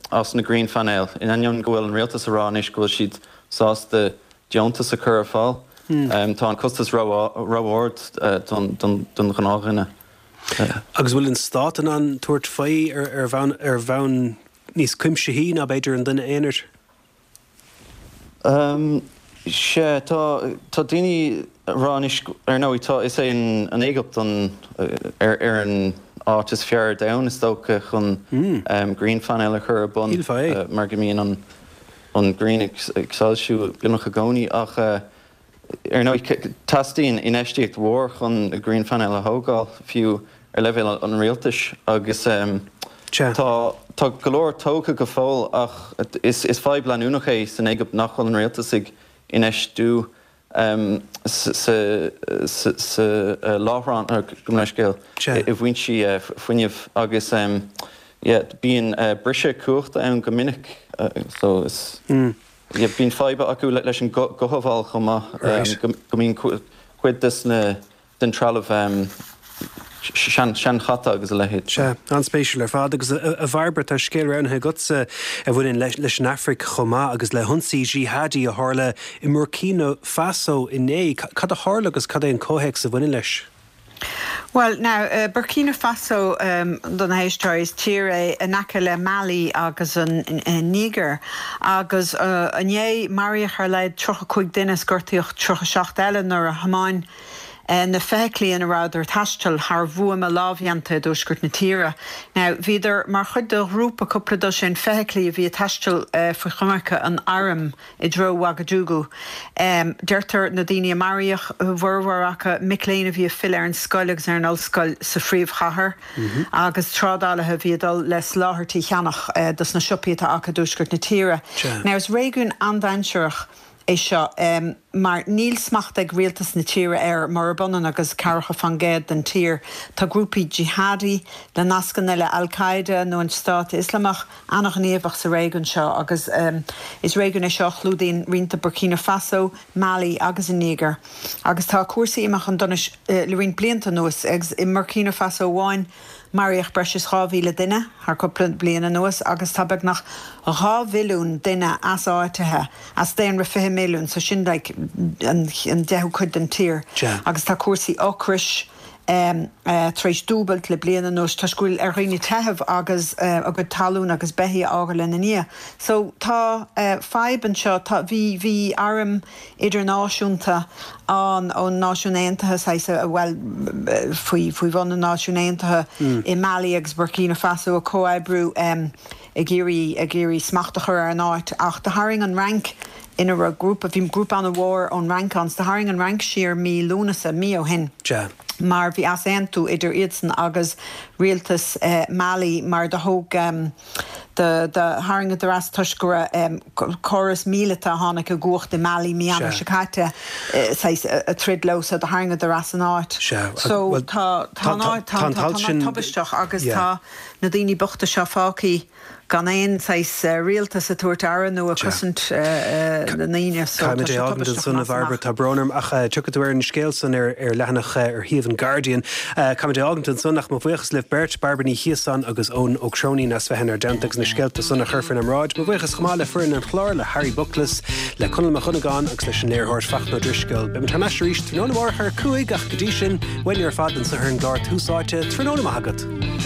as na grianphainéil, in ainneoin go bhfuil an rialtas ag rá anois go bhfuil siad sásta deontas a chur ar fáil. Tá an costas ró-ard don ghnáthdhuine. Agus bhfuil an stát in ann tabhairt faoi ar bhonn ar bhonn níos cuimsithí ná b'fhéidir an duine aonair? Sea, tá tá daoine ag rá anois, ar ndóigh, tá, is é an Éigipt an ar ar an áit is fearr ar domhan is dócha chun grianphainéil a chur ar bun mar go mbíonn an an ghrian ag soilsiú beagnach i gcónaí ach ar ndóigh teastaíonn infheistíocht mhór chun grianphainéil a thógáil fiú ar leibhéal an rialtais agus tá tá go leor tógtha go fóill ach is is fadhb leanúnach é san Éigipt nach bhfuil an rialtas ag infheistiú sa láithreán, gabh mo leithscéal, i bhfoinsí fuinnimh agus bíonn briseadh cumhachta ann go minic so is bíonn fadhb acu leis an gcothabháil chomh maith, go mbíonn cuid des na den trealamh seanchaite agus a leithéid. Sea, an-spéisiúil ar fad. Agus a Bhairbre, tá scéal roghnaithe agatsa a bhaineann leis an Afraic chomh maith agus le hionsaí jihadi a tharla i mBurkina Faso inné. Cad a tharla agus cad é an comhthéacs a bhaineann leis? Bhuel, now, Burkina Faso, do na héisteoirí, is tír é in aice le Mali agus an Nígir. Agus inné, maraíodh ar a laghad tríocha cúig duine is gortaíodh tríocha seacht eile nuair a thiomáin na feithiclí ina rabhadar ag taisteal thar bhuama lámhdhéanta i dtuaisceart na tíre. Now, bhíodar mar chuid de ghrúpa cúpla dosaen feithiclí a bhí ag taisteal faoi choimirce an airm i dtreo Ouagadougou. Deirtear na daoine a maraíodh, a bhformhór acu, mic léinn a bhí ag filleadh ar an scoil agus ar an ollscoil sa phríomhchathair agus trádálaithe a bhí ag dul le soláthairtí a cheannach dos na siopaí atá acu i dtuaisceart na tíre. Now, is réigiún an-dainséarach é seo mar níl smacht ag rialtas na tíre air, murab ionann agus ceathracha faoin gcéad den tír. Tá grúpaí jihadi le nascanna le Al-Qaeda nó an Stát Ioslamach an-ghníomhach sa réigiún seo agus is réigiún é seo a chlúdaíonn roinnt de Burkina Faso, Mali agus an Nígir. Agus tá cúrsaí imithe chun donais le roinnt blianta anuas agus i mBurkina Faso amháin maraíodh breis is dhá mhíle duine thar cúpla bliain anuas agus tá beagnach dhá mhilliún duine easáitithe as daonra fiche milliún, so sin like an deichiú cuid den tír. Agus tá cúrsaí ocrais tar éis dúbailt le bliain anuas toisc go bhfuil ar dhaoine teitheadh agus a gcuid talún agus beithígh a fhágáil ina ndiaidh. So tá fadhb anseo, tá, bhí, bhí arm idirnáisiúnta ann ón Náisiún Aontaithe, saghas, bhuel, faoi, faoi bhun na Náisiún Aontaithe i Mali agus Burkina Faso ag comhoibriú ag iarraidh, ag iarraidh smacht a chur ar an áit ach do tharraing an Fhrainc ina raibh grúpa, bhí grúpa an-mhór ón Fhrainc ann, so do tharraing an Fhrainc siar mí Lúnasa, mí ó shin. Mar bhí easaontú idir iadsan agus rialtas Mali mar do thóg, do tharraingeadar as toisc go raibh córas míleata a tháinig i gcumhacht i Mali mí Eanáir seo caite saghas ag troid leo so do tharraingeadar as an áit. So tá tá an áit tá an t-alt sin tubaisteach agus tá na daoine bochta seo fágtha gan aon saghas rialtas ag tabhairt aire nó ag cosaint na ndaoine so tá Caithfimid sé é fhágaint tubaisteach ansan a amach is Bhairbre, amach. tá brón orm ach tiocfaidh tú ar an scéal san ar ar leathanach ar shuíomh an Guardian. Caithfimid é fhágaint ansan ach mo bhuíochas libh beirt, Bairbre Ní Chiosáin agus Eoin Ó Cróinín as bheith inár dteannta agus na scéalta san a chur faoinár mbráid. Mo bhuíochas chomh maith le foireann an chláir, le Harry Buckles, le Conall Mac Dhonnagáin agus leis an léiritheoir Fachtna Ó Drisceoil. Beimid thar n-ais arís tráthnóna amárach ar a cúig ach go dtí sin, uainne ar fad anseo ar an gclár Tús Áite, tráthnóna maith agat.